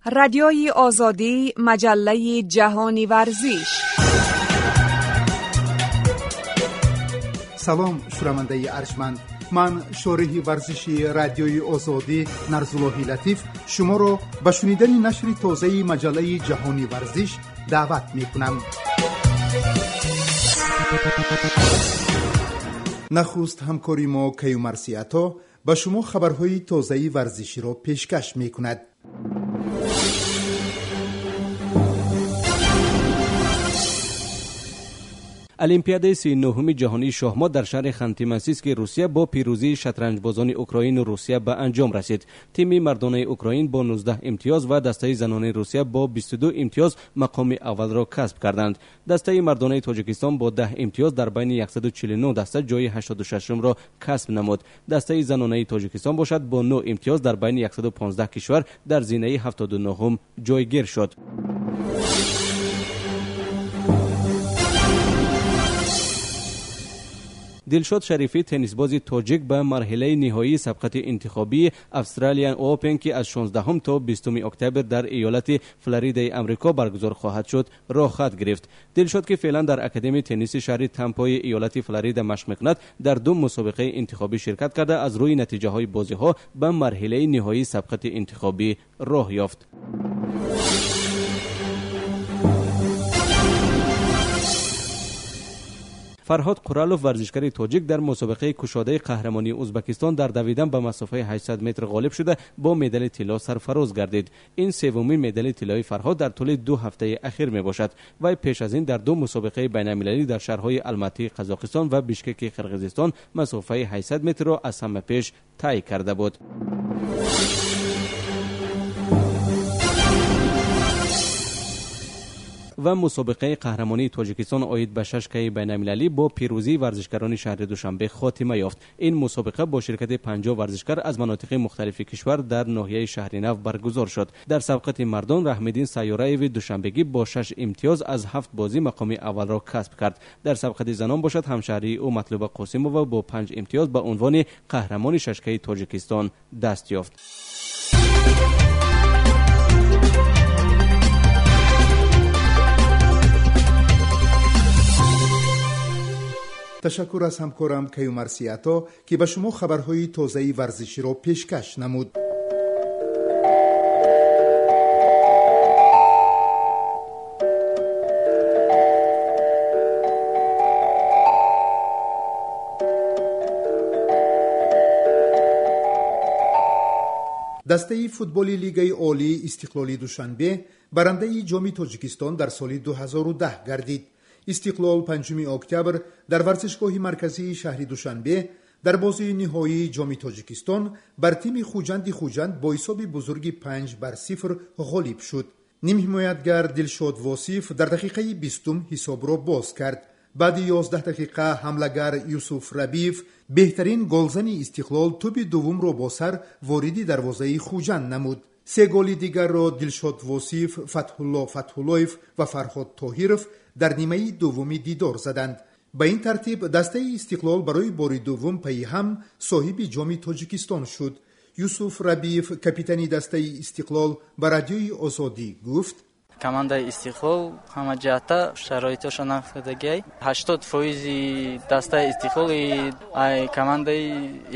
Радиои Озодӣ, маҷаллаи ҷаҳони варзиш. Салом, шунавандаи арҷманд. Ман, шориҳи варзиши Радиои Озодӣ Нарзуллоҳи Латиф, шуморо ба шунидани нашри тозаи маҷаллаи ҷаҳони варзиш даъват мекунам. Нахуст ҳамкори мо Каюмарси Ато ба шумо хабарҳои тозаи варзиширо пешкаш мекунад. Олимпиадаи 39-уми ҷаҳонии шоҳмот дар шаҳри Ханти-Мансийски Русия бо пирӯзии шатранҷбозони Украину Русия ба анҷом расид. Тими мардонаи Украин бо 19 имтиёз ва дастаи занонаи Русия бо 22 имтиёз мақоми аввалро касб карданд. Дастаи мардонаи Тоҷикистон бо 10 имтиёз дар байни 149 даста ҷои 86-умро касб намуд. Дастаи занонаи Тоҷикистон бошад, бо 9 имтиёз дар байни 115 кишвар дар зинаи 79-ум ҷойгир шуд. Дилшод Шарифӣ, теннисбози тоҷик, ба марҳилаи ниҳоии сабқати интихобии Австралиан Опен, ки аз 16 то 20 октябр дар иёлати Флоридаи Амрико баргузор хоҳад шуд, роҳхат гирифт. Дилшод, ки феълан дар Академияи тенниси шаҳри Тампои иёлати Флорида машқ мекунад, дар ду мусобиқаи интихобӣ ширкат карда, аз рӯи натиҷаҳои бозиҳо ба марҳилаи ниҳоии сабқати интихобӣ роҳ ёфт. Фарҳод Қуралов, варзишгари тоҷик, дар мусобиқаи кушодаи қаҳрамонии Ӯзбекистон дар давидан ба масофаи 800 метр ғолиб шуда, бо медали тилло сарфароз гардид. Ин севумин медали тиллои Фарҳод дар тӯли 2 ҳафтаи ахир мебошад. Вай пеш аз ин дар ду мусобиқаи байналмилалӣ дар шаҳрҳои Алматии Қазоқистон ва Бишкеки Қирғизистон масофаи 800 метрро аз ҳама пеш тай карда буд. Ва мусобиқаи қаҳрамонии Тоҷикистон оид ба шашкаи байналмилалӣ бо пирӯзии варзишгарони шаҳри Душанбе хотима ёфт. Ин мусобиқа бо ширкати 50 варзишгар аз манотиқи мухталифи кишвар дар ноҳияи Шаҳринав баргузор шуд. Дар сабқати мардон Раҳмиддин Сайёраеви душанбегӣ бо 6 имтиёз аз 7 бозӣ мақоми аввалро касб кард. Дар сабқати занон бошад, ҳамшаҳрии ӯ Матлуба Қосимова бо 5 имтиёз ба унвони қаҳрамони шашкаи Тоҷикистон даст ёфт. Ташаккур аз ҳамкорам Каюмарси Ато, ки ба шумо хабарҳои тозаи варзиширо пешкаш намуд. Дастаи футболи Лигаи Олии Истиқлоли Душанбе барандаи Ҷоми Тоҷикистон дар соли 2010 гардид. Истиқлол 5 октябр дар варзишгоҳи марказии шаҳри Душанбе дар бозии ниҳоии Ҷоми Тоҷикистон бар тими Хуҷанди Хуҷанд бо ҳисоби бузурги 5-0 ғолиб шуд. Нимҳимоятгар Дилшод Восиф дар дақиқаи 20 ҳисобро боз кард. Баъди 11 дақиқа ҳамлагар Юсуф Рабиев, беҳтарин голзани Истиқлол, тӯби дуввумро бо сар вориди дарвозаи Хуҷанд намуд. Се голи дигарро Дилшод Восиф, Фатҳулло Фатҳуллоев ва Фарҳод Тоҳиров дар нимаи дуввуми дидор заданд. Ба ин тартиб дастаи Истиқлол барои бори дуввум пайи ҳам соҳиби Ҷоми Тоҷикистон шуд. Юсуф Рабиев, капитани дастаи Истиқлол, ба Радиои Озодӣ гуфт: Командаи Истиқлол ҳама ҷиҳата шароитошо нақл кардагиай. 80% дастаи Истиқлол ай командаи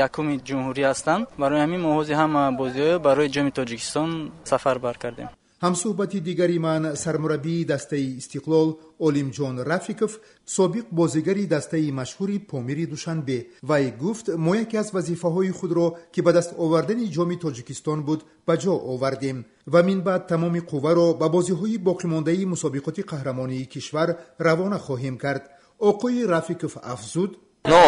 якуми ҷумҳурӣ ҳастанд. Барои ҳамин мо ҳозир ҳама бозиҳоро барои Ҷоми Тоҷикистон сафарбар кардем. Ҳамсӯҳбати дигари ман, сармураббии дастаи Истиқлол Олимҷон Рафиков, собиқ бозигари дастаи машҳури Помири Душанбе, вай гуфт: мо яке аз вазифаҳои худро, ки ба даст овардани Ҷоми Тоҷикистон буд, ба ҷо овардем ва минбаъд тамоми қувваро ба бозиҳои боқимондаи мусобиқоти қаҳрамонии кишвар равона хоҳем кард. Оқои Рафиков афзуд: Ну,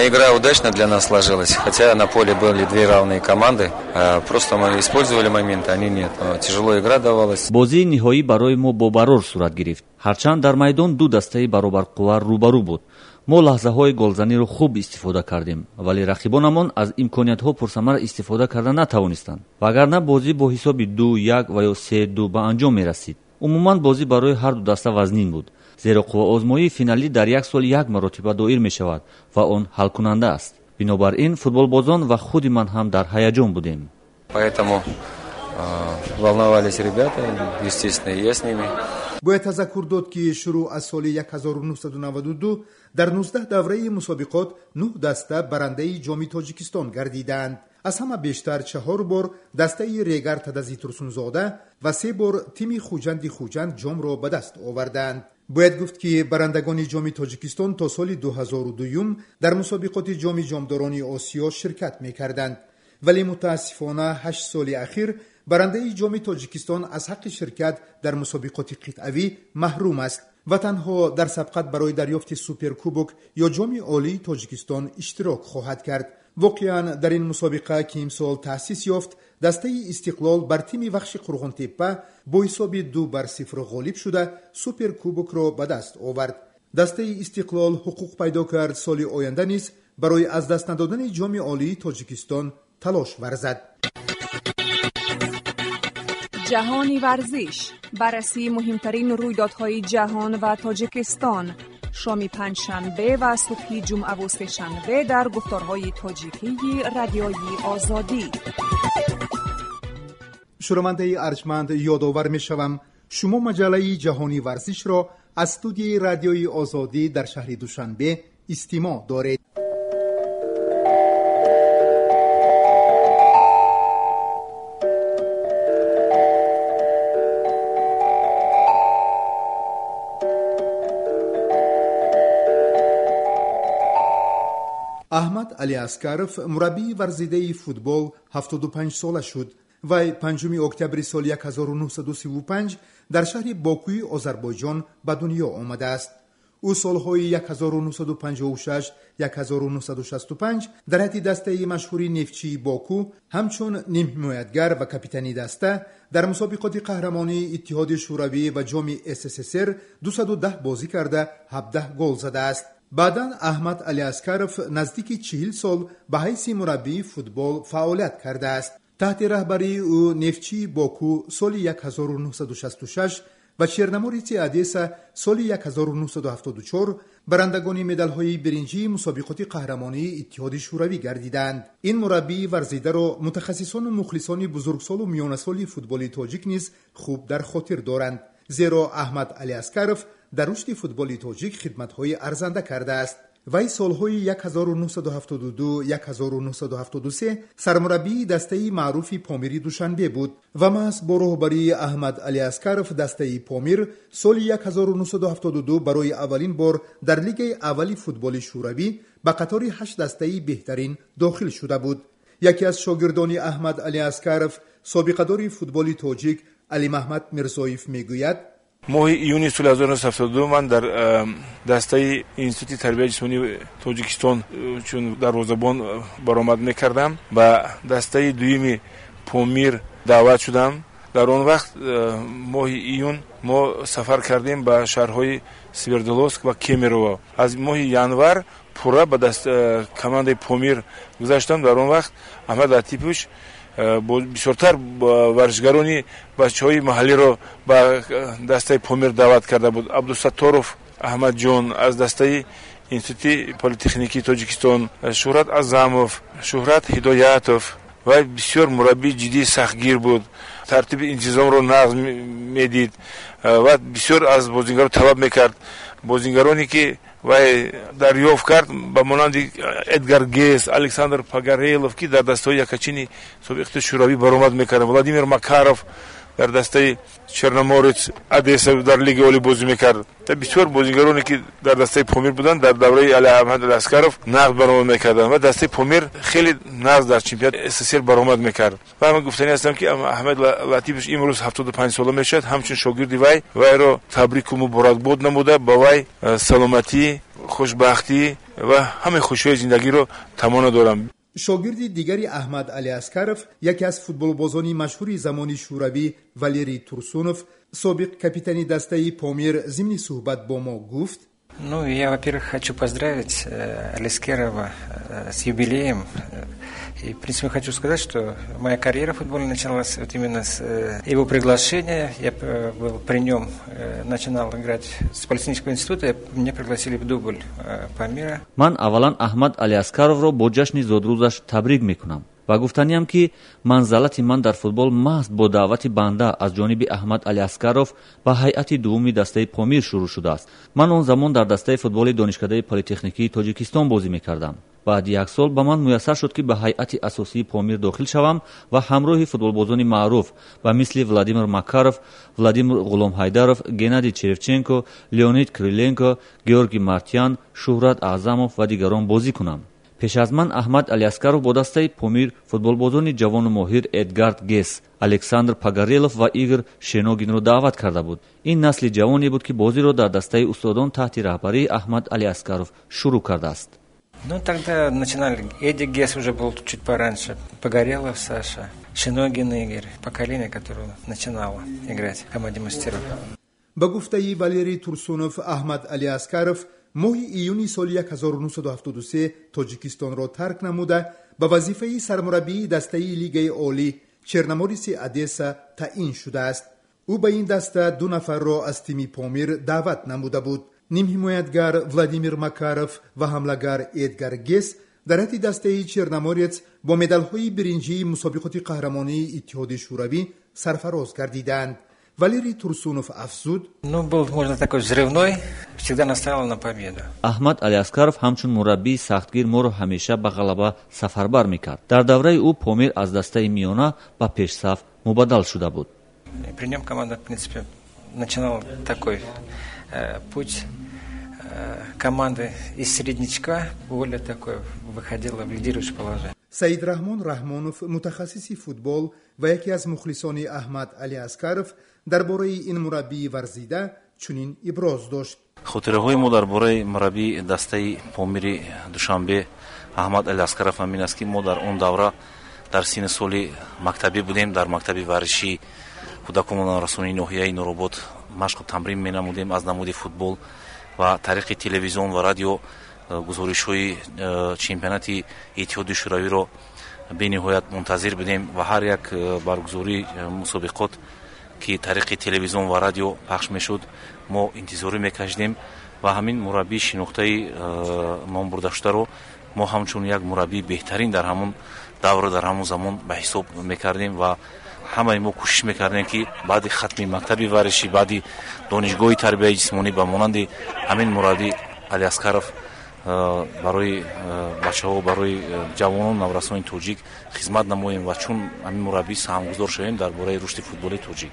игра удачно для нас сложилась, хотя на поле были две равные команды. Просто мы использовали моменты, они нет. Тяжело игра давалась. Бозии ниҳоӣ барои мо бобарор сурат гирифт. Ҳарчанд дар майдон ду дастаи баробарқувва рӯбарӯ буд. Мо лаҳзаҳои голзаниро хуб истифода кардем, вале рақибонамон аз имкониятҳо пурсамар истифода карда натавонистанд. Вагарна бозӣ бо ҳисоби 2-1 ва ё 3-2 ба анҷом мерасид. Умуман бозӣ барои ҳар ду даста вазнин буд, зеро қувваозмоии финалӣ дар як сол як маротиба доир мешавад ва он ҳалкунанда аст. Бинобар ин футболбозон ва худи ман ҳам дар ҳаяҷон будем. Поэтому Волновались ребята, естественно, и я с ними. Бояд тазаккур дод, ки шурӯъ аз соли 1992 дар 19 давраи мусобиқот 9 даста барандаи Ҷоми Тоҷикистон гардидаанд. Аз ҳама бештар 4 бор дастаи Регар Тадази Турсунзода ва 3 бор тими Хуҷанди Хуҷанд ҷомро ба даст овардаанд. Бояд гуфт, ки барандагони Ҷоми Тоҷикистон то соли 2002 дар мусобиқоти Ҷоми ҷомдорони Осиё ширкат мекарданд, вале мутаассифона 8 соли ахир барандаи Ҷоми Тоҷикистон аз ҳаққи ширкат дар мусобиқоти қитъавӣ маҳрум аст ва танҳо дар сабқат барои дарёфти суперкубок ё Ҷоми Олии Тоҷикистон иштирок хоҳад кард. Воқеан, дар ин мусобиқа, ки имсол таъсис ёфт, дастаи Истиқлол бар тими Вахши Қурғонтеппа бо ҳисоби 2-0 ғолиб шуда, суперкубокро ба даст овард. Дастаи Истиқлол ҳуқуқ пайдо кард соли оянда низ барои аз даст надодани Ҷоми Олии Тоҷикистон талош варзад. Ҷаҳони варзиш, баррасии муҳимтарин рӯйдодҳои ҷаҳон ва Тоҷикистон, шоми панҷшанбе ва субҳи ҷумъаву сешанбе дар гуфторҳои тоҷикии Радиои Озодӣ. Шунавандаи арҷманд, ёдовар мешавам, шумо маҷаллаи Ҷаҳони варзишро аз студияи Радиои Озодӣ дар шаҳри Душанбе истимоъ доред. Аҳмад Алиаскаров, мураббии варзидаи футбол, 75 сола шуд. Вай 5 октябри соли 1935 дар шаҳри Бокуи Озарбойҷон ба дунё омадааст. Ӯ солҳои 1956-1965 дар ҳайати дастаи машҳури Нефтчии Боку ҳамчун нимҳимоятгар ва капитани даста дар мусобиқоти қаҳрамонии Иттиҳоди Шӯравӣ ва Ҷоми СССР 210 бозӣ карда, 17 гол задааст. Баъдан Аҳмад Алиаскаров наздики 40 сол ба ҳайси мураббии футбол фаъолият кардааст. Таҳти раҳбарии ӯ Нефтчии Боку соли 1966 ва Черномореци Одесса соли 1974 барандагони медалҳои биринҷии мусобиқоти қаҳрамонии Иттиҳоди Шӯравӣ гардиданд. Ин мураббии варзидаро мутахассисону мухлисони бузургсолу миёнасоли футболи тоҷик низ хуб дар хотир доранд, зеро Аҳмад Алиаскаров дар рушди футболи тоҷик хидматҳои арзанда кардааст. Вай солҳои 1972-1973 сармураббии дастаи маъруфи Помири Душанбе буд ва маҳз бо роҳбарии Аҳмад Алиаскаров дастаи Помир соли 1972 барои аввалин бор дар Лигаи аввали футболи Шӯравӣ ба қатори ҳашт дастаи беҳтарин дохил шуда буд. Яке аз шогирдони Аҳмад Алиаскаров, собиқадори футболи тоҷик Алимаҳмад Мирзоев мегӯяд: Моҳи июни соли 1972 ман дар дастаи Институти тарбияи ҷисмонии Тоҷикистон чун дарвозабон баромад мекардам, ба дастаи дуюми Помир даъват шудам. Дар он вақт, моҳи июн, мо сафар кардем ба шаҳрҳои Свердловск ва Кемерово. Аз моҳи январ пурра ба командаи Помир гузаштам. Дар он вақт Аҳмад Латипович бисёртар варзишгарони бачаҳои маҳаллиро ба дастаи Помир даъват карда буд. Абдусатторов Аҳмадҷон аз дастаи Институти политехникии Тоҷикистон, Шӯҳрат Азамов, Шӯҳрат Ҳидоятов. Вай бисёр мураббии ҷиддии сахтгир буд, тартиби интизомро нағз медид ва бисёр аз бозингарон талаб мекард. Бозингароне ки вай дарёфт кард, ба монанди Эдгар Гес, Александр Пагарелов, ки дар дастаҳои якачини собиқ Шӯравӣ баромад мекарданд, Владимир Макаров дар дастаи Черноморец Одесса дар Лигаи олӣ бозӣ мекард. Бисёр бозингароне ки дар дастаи Помир буданд, дар давраи Алиаҳмад Алиаскаров нағз баромад мекарданд ва дастаи Помир хеле нағз дар чемпионати СССР баромад мекард. Ва ман гуфтанӣ ҳастам, ки Аҳмад Латипович имрӯз 75сола мешавад. Ҳамчун шогирди вай вайро табрику муборакбод намуда, ба вай саломатӣ, хушбахтӣ ва ҳамаи хушиҳои зиндагиро таманно дорам. Шогирди дигари Аҳмад Алиаскаров, яке аз футболбозони машҳури замони Шӯравӣ Валерий Турсунов, собиқ капитани дастаи Помир, зимни суҳбат бо мо гуфт: Ну, я, во-первых, хочу поздравить Алискерова с юбилеем. И, в принципе, хочу сказать, что моя карьера футбольная началась вот именно с его приглашения. Я был при нем, начинал играть с Политехнического института, меня пригласили в дубль Памира. Ман аввалан Аҳмад Алиаскаровро бо ҷашни зодрӯзаш табрик мекунам. Ва гуфтаниам, ки манзалати ман дар футбол маҳз бо даъвати банда аз ҷониби Аҳмад Алиаскаров ба ҳайати дуввуми дастаи Помир шурӯъ шудааст. Ман он замон дар дастаи футболи Донишкадаи политехникии Тоҷикистон бозӣ мекардам. Баъди як сол ба ман муяссар шуд, ки ба ҳайати асосии Помир дохил шавам ва ҳамроҳи футболбозони маъруф ба мисли Владимир Макаров, Владимир Ғуломҳайдаров, Геннадий Черевченко, Леонид Криленко, Георгий Мартьян, Шуҳрат Аъзамов ва дигарон бозӣ кунам. Пеш аз ман Аҳмад Алиаскаров бо дастаи Помир футболбозони ҷавону моҳир Эдгард Гес, Александр Пагарелов ва Игор Шеногинро даъват карда буд. Ин насли ҷавоне буд, ки бозиро дар дастаи устодон таҳти раҳбарии Аҳмад Алиаскаров шурӯъ кардааст. Ну, тогда начинали. Эдик Гес уже был чуть пораньше. Погорелов Саша, Шиногин Игорь. Поколение, которое начинало играть в команде мастеров. Ба гуфтаи Валерий Турсунов, Аҳмад Алиаскаров моҳи июни соли 1973 Тоҷикистонро тарк намуда, ба вазифаи сармураббии дастаи Лигаи олӣ Черномореси Одесса таъин шудааст. Ӯ ба ин даста ду нафарро аз тими Помир даъват намуда буд. Нимҳимоятгар Владимир Макаров ва ҳамлагар Эдгар Гес дар ҳайати дастаи Черноморец бо медалҳои биринҷии мусобиқоти қаҳрамонии Иттиҳоди Шӯравӣ сарфароз гардидаанд. Валерий Турсунов афзуд: Ну, был, можно, такой взрывной, всегда настраивал на победу. Аҳмад Алиаскаров ҳамчун мураббии сахтгир моро ҳамеша ба ғалаба сафарбар мекард. Дар давраи ӯ Помир аз дастаи миёна ба пешсаф мубаддал шуда буд. При нем команда, в принципе, начинала такой путь команды из среднячка, более такой, выходила в лидирующее положение. Саидраҳмон Раҳмонов, мутахассиси футбол ва яке аз мухлисони Аҳмад Алиаскаров, дар бораи ин мураббии варзида чунин иброз дошт: Хотираҳои мо дар бораи мураббии дастаи Помири Душанбе Аҳмад Алиаскаров ҳамин аст, ки мо дар он давра дар синни соли мактабӣ будем, дар мактаби варзишии кӯдакону наврасони ноҳияи Нуробод машқу тамрин менамудем аз намуди футбол ва тариқи телевизион ва радио гузоришҳои чемпионати Иттиҳоди Шӯравиро бениҳоят мунтазир будем ва ҳар як баргузории мусобиқот, ки тариқи телевизион ва радио пахш мешуд, мо интизорӣ мекашидем ва ҳамин мураббии шинохтаи номбурдашударо мо ҳамчун як мураббии беҳтарин дар ҳамон давру дар ҳамон замон ба ҳисоб мекардем ва ҳамаи мо кӯшиш мекардем, ки баъди хатми мактаби варзишӣ, баъди донишгоҳи тарбияи ҷисмонӣ ба монанди ҳамин мураббӣ Алиаскаров барои бачаҳо, барои ҷавонон, наврасони тоҷик хизмат намоем ва чун ҳамин мураббӣ саҳмгузор шавем дар бораи рушди футболи тоҷик.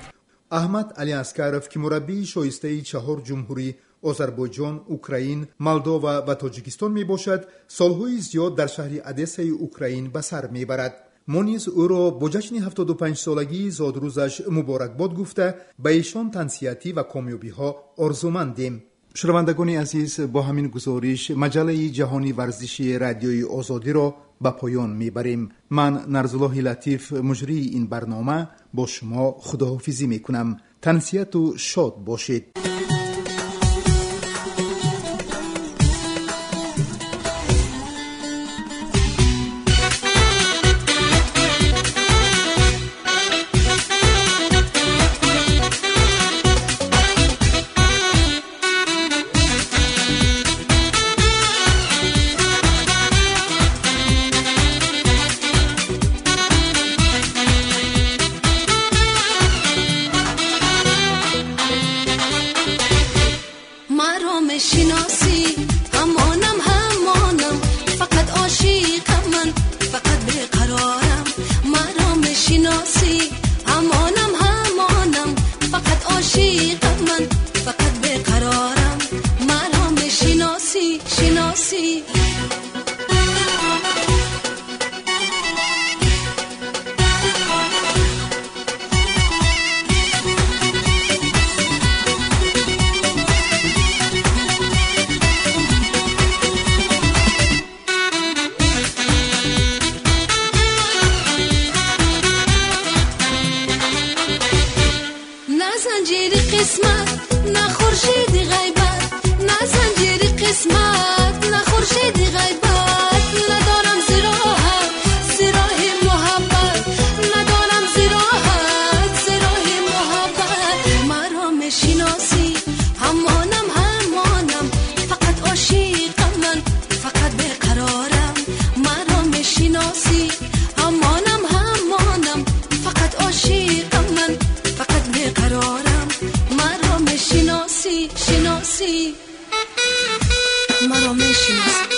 Аҳмад Алиаскаров, ки мураббии шоистаи чаҳор ҷумҳурӣ — Озарбойҷон, Украин, Молдова ва Тоҷикистон мебошад, солҳои зиёд дар шаҳри Одессаи Украин ба сар мебарад. Мо низ ӯро бо ҷашни 75-солагии зодрӯзаш муборакбод гуфта, ба эшон тансиҳатӣ ва комёбиҳо орзумандем. Шунавандагони азиз, бо ҳамин гузориш маҷаллаи ҷаҳони варзиши Радиои Озодиро ба поён мебарем. Ман, Нарзуллоҳи Латиф, муҷрии ин барнома, бо шумо худоҳофизӣ мекунам. Тансиҳату шод бошед. Мешиносӣ, ҳамонам, ҳамонам, фақат ошиқам ман, фақат беқарорам. Маро мешиносӣ, ҳамонам, ҳамонам, фақат ошиқам ман, фақат беқарорам. Маро мешиносӣ, шиносӣ. Занҷири қисмат, на хуршеди ғайбат, на занҷири қисмат, на хуршеди ғайбат. Надорам зироҳат, зироҳи муҳаббат, надорам зироҳат, зироҳи муҳаббат. Маро мешиносӣ, ҳамонам, ҳамонам, фақат ошиқам ман, фақат беқарорам. Маро мешиносӣ, ҳамонам. беқарорам. Маро мешиноси, шиноси, маро мешиноси.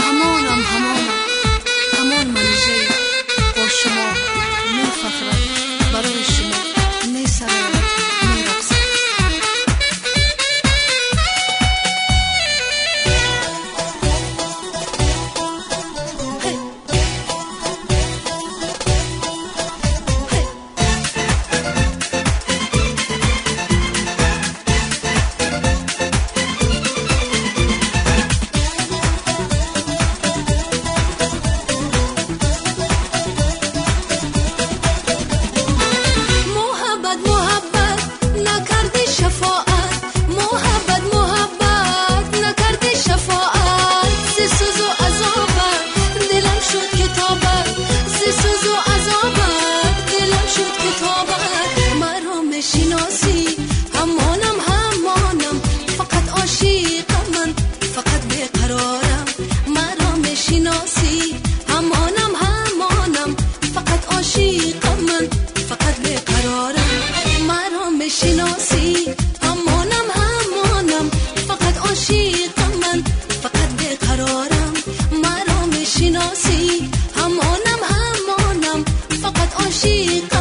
Ҳамонам, ҳамонам, ҳамон Манижаи бо шумо мефахрад, барои шумо месарояд, мерақсад. Муҳаббат, муҳаббат накарди шафоат, муҳаббат, муҳаббат накарди шафоат. Зи сӯзу азобат дилам шуд китобат, зи сӯзу азобат дилам шуд китобат. Маро мешиноси, ҳамонам, ҳамонам, фақат ошиқам ман, фақат беқарорам. Маро мешиноси, ҳамонам, ҳамонам, фақат ошиқам ман, фақат беқарорам. Маро мешиноси, ҳамонам, ҳамонам, фақат ошиқам ман, фақат беқарорам. Маро мешиноси, ҳамонам, ҳамонам, фақат ошиқам.